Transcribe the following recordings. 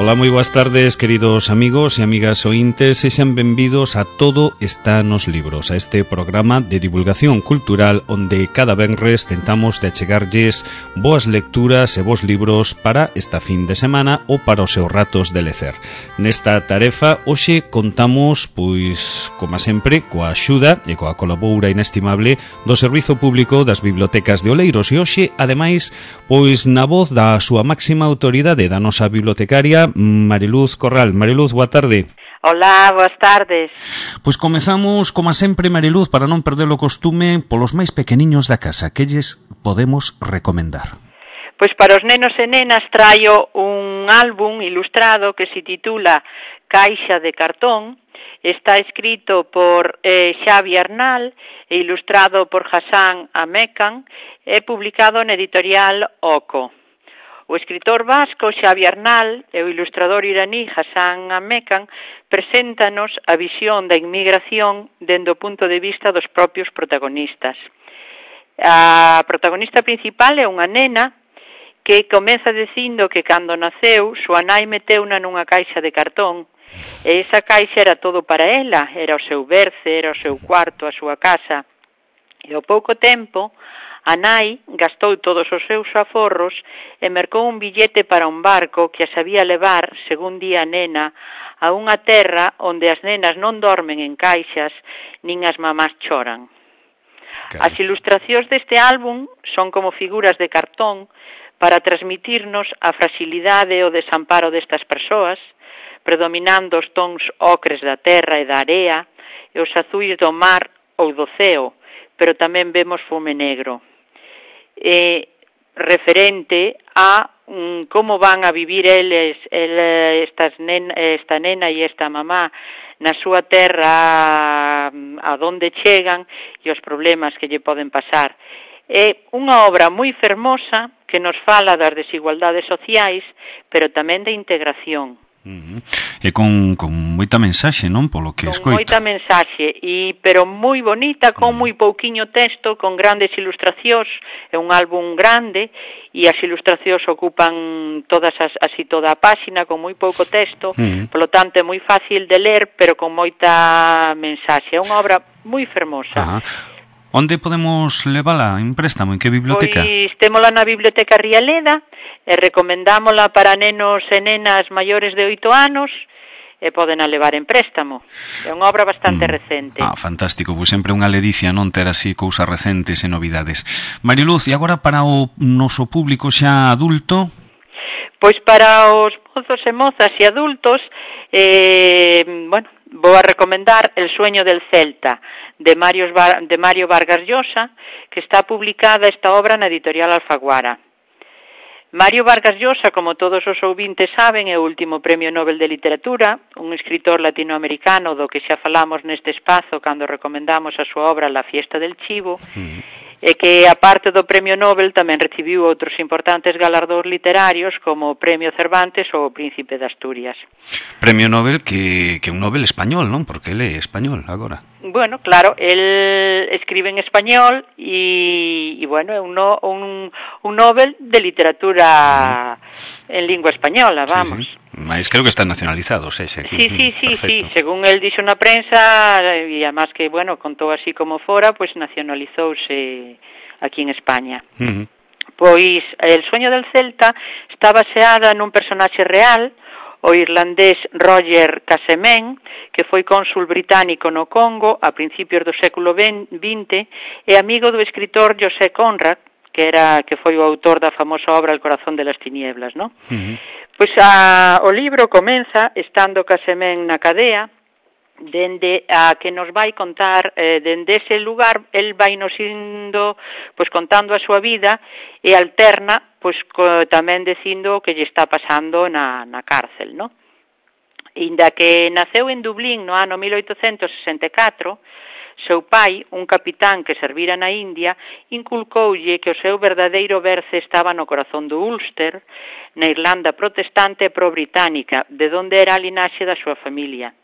Ola, moi boas tardes, queridos amigos e amigas ointes, sexan benvidos a Todo está nos libros, a este programa de divulgación cultural onde cada venres tentamos de achegarlles boas lecturas e bons libros para esta fin de semana ou para os seus ratos de lecer. Nesta tarefa, hoxe contamos, pois, como sempre, coa axuda e coa colabora inestimable do Servizo Público das Bibliotecas de Oleiros e hoxe, ademais, pois na voz da súa máxima autoridade da nosa bibliotecaria, Mariluz Corral. Mariluz, boa tarde. Hola, boas tardes. Pois comezamos, como sempre, Mariluz, para non perder o costume, polos máis pequeniños da casa. Que lles podemos recomendar? Pois para os nenos e nenas traio un álbum ilustrado que se titula Caixa de cartón. Está escrito por Xavi Arnal e ilustrado por Hassan Amekan e publicado na editorial Oco. O escritor vasco Xavi Arnal e o ilustrador iraní Hassan Amekan preséntanos a visión da inmigración dende o punto de vista dos propios protagonistas. A protagonista principal é unha nena que comeza dicindo que cando naceu, súa nai meteuna nunha caixa de cartón e esa caixa era todo para ela, era o seu berce, era o seu cuarto, a súa casa. E ao pouco tempo, a nai gastou todos os seus aforros e mercou un billete para un barco que a sabía levar, según di a nena, a unha terra onde as nenas non dormen en caixas nin as mamás choran. As ilustracións deste álbum son como figuras de cartón para transmitirnos a fragilidade e o desamparo destas persoas, predominando os tons ocres da terra e da area e os azuis do mar ou do ceo, pero tamén vemos fume negro. Referente a como van a vivir esta nena e esta mamá na súa terra, a donde chegan e os problemas que lle poden pasar. É unha obra moi fermosa que nos fala das desigualdades sociais, pero tamén da integración. E con moita mensaxe, non? Polo que escoito. Con moita mensaxe, pero moi bonita, con moi pouquiño texto, con grandes ilustracións, é un álbum grande, e as ilustracións ocupan toda a páxina, con moi pouco texto, polo tanto é moi fácil de ler, pero con moita mensaxe. É unha obra moi fermosa. Onde podemos levala en préstamo? En que biblioteca? Pois témola na Biblioteca Rialeda e recomendámola para nenos e nenas maiores de 8 anos e poden a levar en préstamo. É unha obra bastante recente. Fantástico, pois sempre unha ledicia non ter así cousas recentes e novidades. Mariluz, e agora para o noso público xa adulto? Pois para os mozos e mozas e adultos, vou a recomendar El sueño del Celta, de Mario Vargas Llosa, que está publicada esta obra na editorial Alfaguara. Mario Vargas Llosa, como todos os ouvintes saben, é o último Premio Nobel de Literatura, un escritor latinoamericano do que xa falamos neste espazo cando recomendamos a súa obra La fiesta del chivo, e que, aparte do Premio Nobel, tamén recibiu outros importantes galardóns literarios como o Premio Cervantes ou o Príncipe de Asturias. Premio Nobel que é un Nobel español, non? Porque ele é español agora. Bueno, claro, el escribe en español e bueno, é un Nobel de literatura en lingua española, vamos. Sí. Mas creo que están nacionalizados, ese aquí. Sí, según el dixo na prensa, e además que, bueno, contou así como fora, pois nacionalizouse aquí en España. Pois El sueño del Celta está baseada nun personaxe real, o irlandés Roger Casement, que foi cónsul británico no Congo a principios do século XX e amigo do escritor José Conrad, que foi o autor da famosa obra El corazón de las tinieblas, non? Pois o libro comeza estando Casement na cadea, dende a que nos vai contar, dende ese lugar, el vai nos indo, pois contando a súa vida e alterna, pois tamén dicindo o que lle está pasando na cárcel, non? Inda que naceu en Dublín no ano 1864, seu pai, un capitán que servira na India, inculcoulle que o seu verdadeiro berce estaba no corazón do Ulster, na Irlanda protestante e pro-británica, de onde era a linaxe da súa familia.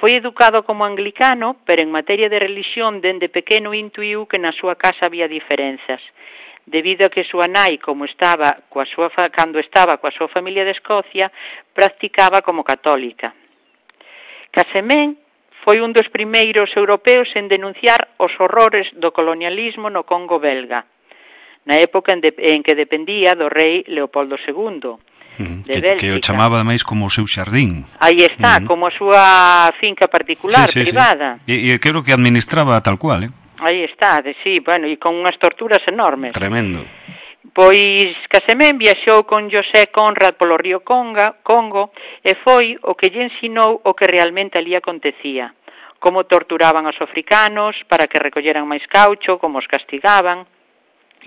Foi educado como anglicano, pero en materia de religión dende pequeno intuiu que na súa casa había diferenzas. debido a que súa nai, cando estaba coa súa familia de Escocia, practicaba como católica. Casemén foi un dos primeiros europeos en denunciar os horrores do colonialismo no Congo belga, na época en que dependía do rei Leopoldo II. Que o chamaba máis como o seu xardín. Aí está, como a súa finca particular, privada. E creo que administraba tal cual, Aí está, sí, bueno, e con unhas torturas enormes. Tremendo. Pois Casemén viaxou con José Conrad polo río Congo e foi o que lle ensinou o que realmente ali acontecía, como torturaban aos africanos para que recolleran máis caucho, como os castigaban,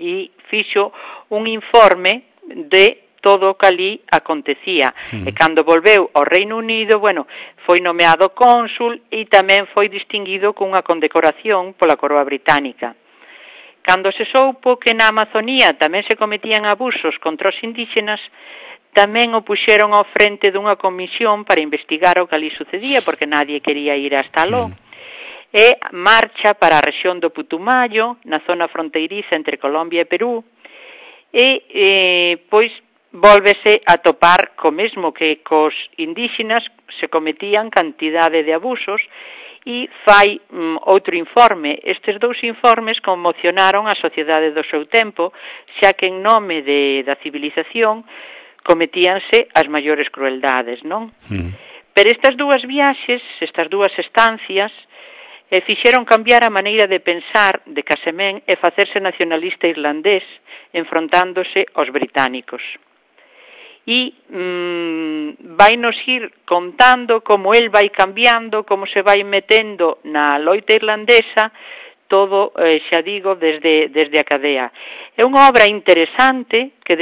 e fixo un informe de todo o que ali acontecía. E cando volveu ao Reino Unido, foi nomeado cónsul e tamén foi distinguido cunha condecoración pola coroa británica. Cando se soupo que na Amazonía tamén se cometían abusos contra os indígenas, tamén o puxeron ao frente dunha comisión para investigar o que ali sucedía, porque nadie quería ir hasta aló. E marcha para a rexión do Putumayo, na zona fronteiriza entre Colombia e Perú, e pois vólvese a topar co mesmo que cos indígenas se cometían cantidade de abusos e fai outro informe. Estes dous informes conmocionaron a sociedade do seu tempo, xa que en nome da civilización cometíanse as maiores crueldades, non? Pero estas dúas viaxes, estas dúas estancias, fixeron cambiar a maneira de pensar de Casemén e facerse nacionalista irlandés, enfrontándose aos británicos. E vai nos ir contando como el vai cambiando, como se vai metendo na loita irlandesa, todo, xa digo, desde a cadea. É unha obra interesante que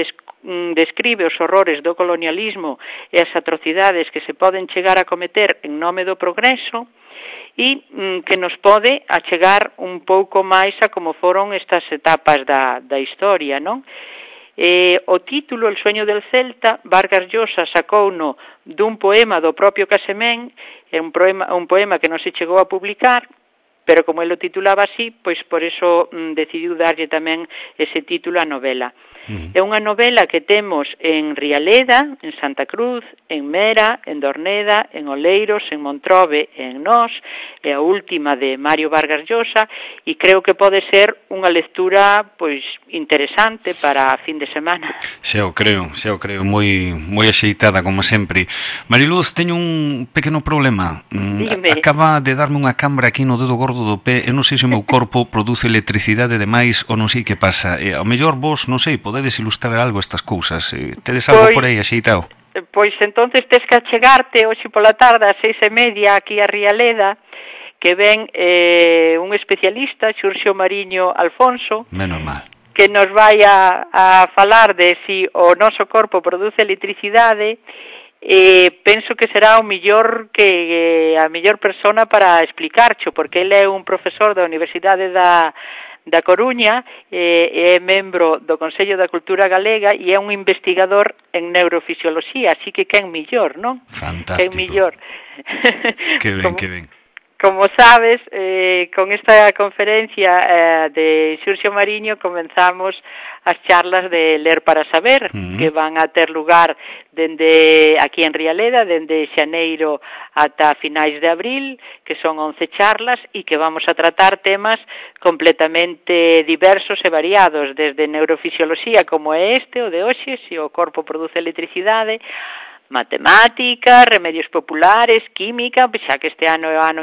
describe os horrores do colonialismo e as atrocidades que se poden chegar a cometer en nome do progreso e que nos pode achegar un pouco máis a como foron estas etapas da historia, non? O título, El sueño del Celta, Vargas Llosa sacouno dun poema do propio Casemén, é un poema que non se chegou a publicar, pero como ele o titulaba así, pois por eso decidiu darlle tamén ese título á novela. É unha novela que temos en Rialeda, en Santa Cruz, en Mera, en Dorneda, en Oleiros, en Montrobe e en Nós, é a última de Mario Vargas Llosa, e creo que pode ser unha lectura pois interesante para a fin de semana. Xa o creo, moi axeitada como sempre. Mariluz, teño un pequeno problema. Acaba de darme unha cambra aquí no dedo gordo do pé, e non sei se o meu corpo produce electricidade demais ou non sei que pasa. Ao mellor vos, non sei, podedes ilustrar algo estas cousas. Tedes algo por aí axeitado? Pois entonces tes que achegarte hoxe pola tarde ás 6:30 aquí a Rialeda, que ven un especialista, Xurxo Mariño Alfonso, menos mal, que nos vai a falar de si o noso corpo produce electricidade. Penso que será a mellor persona para explicarcho, porque ele é un profesor da Universidade da Coruña, é membro do Consello da Cultura Galega e é un investigador en neurofisioloxía, así que quen millor, non? Fantástico. Quen millor. Que ben, que ben. Como sabes, con esta conferencia de Xurxo Mariño comenzamos as charlas de Ler para Saber, que van a ter lugar dende aquí en Rialeda, dende xaneiro ata finais de abril, que son 11 charlas e que vamos a tratar temas completamente diversos e variados, desde neurofisioloxía como é o de hoxe, se o corpo produce electricidade, matemática, remedios populares, química, xa que este ano é o ano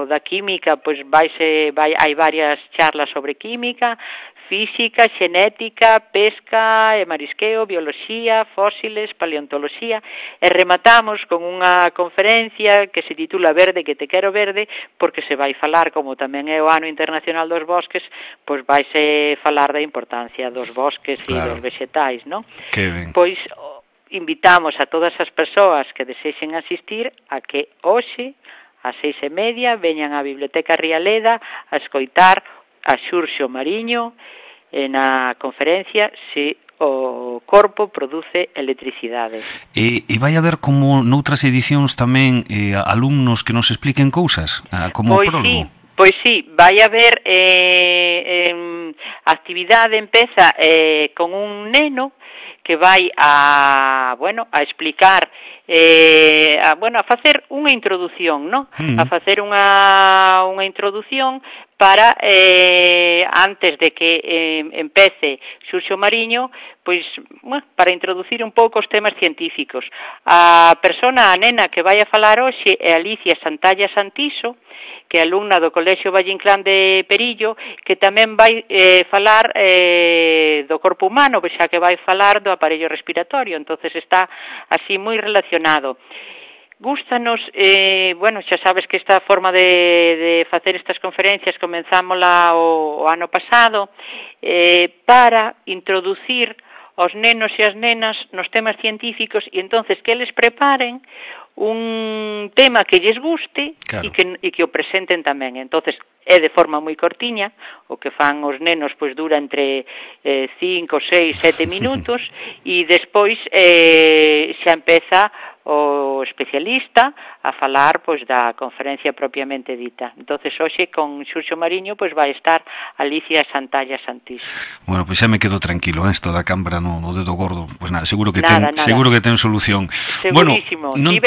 da química, pois hai varias charlas sobre química, física, xenética, pesca e marisqueo, bioloxía, fósiles, paleontoloxía, e rematamos con unha conferencia que se titula Verde que te quero verde, porque se vai falar, como tamén é o ano internacional dos bosques, pois vaise falar da importancia dos bosques e dos vegetais, non? Que ben. Pois invitamos a todas as persoas que desexen asistir a que hoxe, ás 6:30, veñan á Biblioteca Rialeda a escoitar a Xurxo Mariño na conferencia Se o corpo produce electricidade. E vai haber, como noutras edicións tamén, alumnos que nos expliquen cousas, como prólogo? Pois sí, vai haber actividade empeza con un neno que vai a explicar a facer unha introdución, ¿no? A facer unha introdución para antes de que empece Xurxo Mariño, pois, para introducir un pouco os temas científicos. A nena que vai a falar hoxe é Alicia Santalla Santiso, que é alumna do Colexio Valle Inclán de Perillo, que tamén vai falar do corpo humano, xa que vai falar do aparello respiratorio, entonces está así moi relacionado. Gústanos, xa sabes que esta forma de facer estas conferencias comenzámola o ano pasado para introducir aos nenos e as nenas nos temas científicos e entonces que eles preparen un tema que lles guste, claro, e que o presenten tamén. Entonces é de forma moi cortiña, o que fan os nenos pois dura entre 5, 6, 7 minutos e despois xa empeza o especialista a falar pois da conferencia propiamente dita. Entonces hoxe con Xurxo Mariño pois vai estar Alicia Santalla Santiso. Bueno, pois xa me quedo tranquilo, isto da cámbara no dedo gordo, pois nada, seguro que ten solución. Segurísimo. Bueno,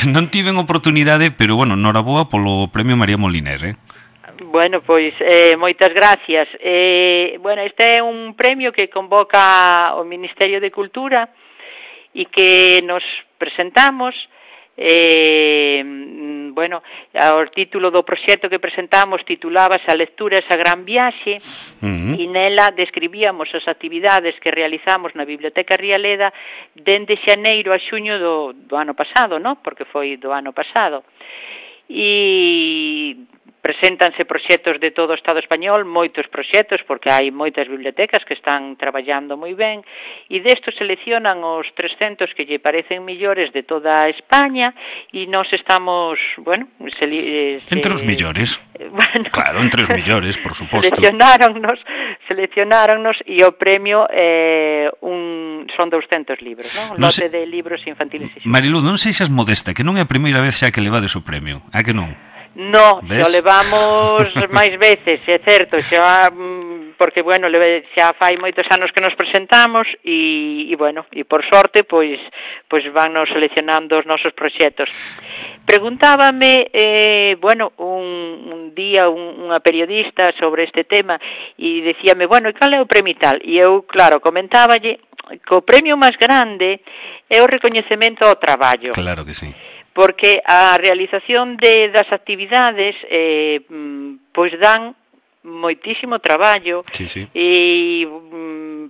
non tiven oportunidade, pero bueno, noraboa polo Premio María Moliner, Bueno, pois moitas gracias. Este é un premio que convoca o Ministerio de Cultura e que nos presentamos, o título do proxecto que presentamos titulábase A lectura esa gran viaxe, e nela describíamos as actividades que realizamos na Biblioteca Rialeda dende xaneiro a xuño do ano pasado, ¿no? Porque foi do ano pasado. E preséntanse proxectos de todo o Estado español, moitos proxectos, porque hai moitas bibliotecas que están traballando moi ben, e destos seleccionan os 300 que lle parecen millores de toda España, e nós estamos, entre os millores. Claro, entre os millores, por suposto. Seleccionáronnos e o premio son 200 libros, non? Un lote de libros infantiles. Mariluz, non seixas modesta, que non é a primeira vez xa que levades o premio, a que non? No, xa levamos máis veces, é certo, xa porque xa fai moitos anos que nos presentamos e por sorte pois vannos seleccionando os nosos proxectos. Preguntábame un día unha periodista sobre este tema e dicíame, cal é o premio tal? E eu, claro, comentáballe que o premio máis grande é o recoñecemento ao traballo. Claro que sí. Porque a realización das actividades pois dan moitísimo traballo, sí. E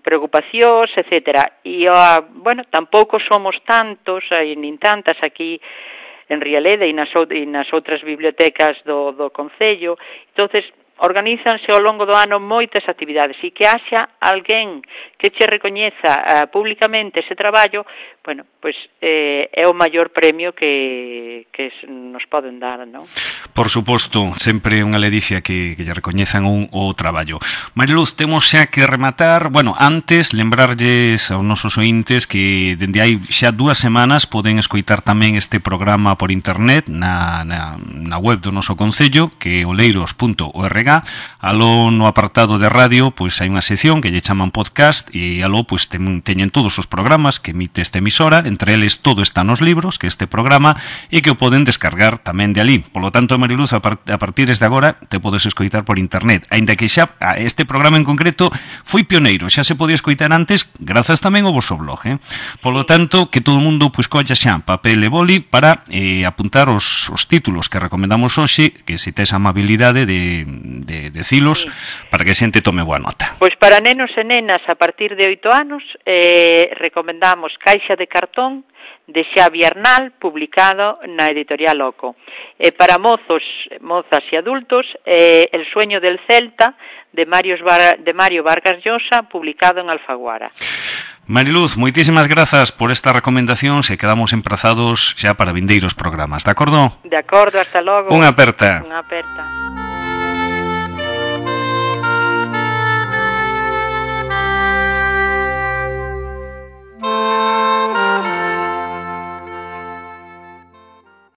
preocupacións, etcétera. E tampouco somos tantos, nin tantas aquí en Rialeda e nas outras bibliotecas do Concello. Entonces organízanse ao longo do ano moitas actividades e que haxa alguén que che recoñeza públicamente ese traballo, é o maior premio que nos poden dar, non? Por suposto, sempre unha ledicia que lle recoñezan o traballo. Mariluz, temos xa que rematar. Antes, lembrarlles aos nosos ointes que dende hai xa 2 semanas poden escoitar tamén este programa por internet na web do noso Concello, que é oleiros.org. Aló no apartado de radio, pois hai unha sección que lle chaman podcast e aló pois teñen todos os programas que emite esta emisora, entre eles Todo está nos libros, que é este programa, e que o poden descargar tamén de ali. Polo tanto, Mariluz, a partir de agora te podes escoitar por internet, aínda que xa este programa en concreto foi pioneiro, xa se podía escoitar antes grazas tamén ao vosso blog, Polo tanto, que todo o mundo pois colla xa papel e boli para apuntar os títulos que recomendamos hoxe, que se tes a amabilidade de decilos, sí, para que a xente tome boa nota. Pois para nenos e nenas a partir de 8 anos recomendamos Caixa de cartón de Xavi Arnal, publicado na editorial Oco. Para mozos, mozas e adultos, El sueño del Celta de Mario Vargas Llosa, publicado en Alfaguara. Mariluz, moitísimas grazas por esta recomendación, se quedamos emprazados xa para vindeiros programas, de acordo? De acordo, hasta logo. Unha aperta. Unha aperta.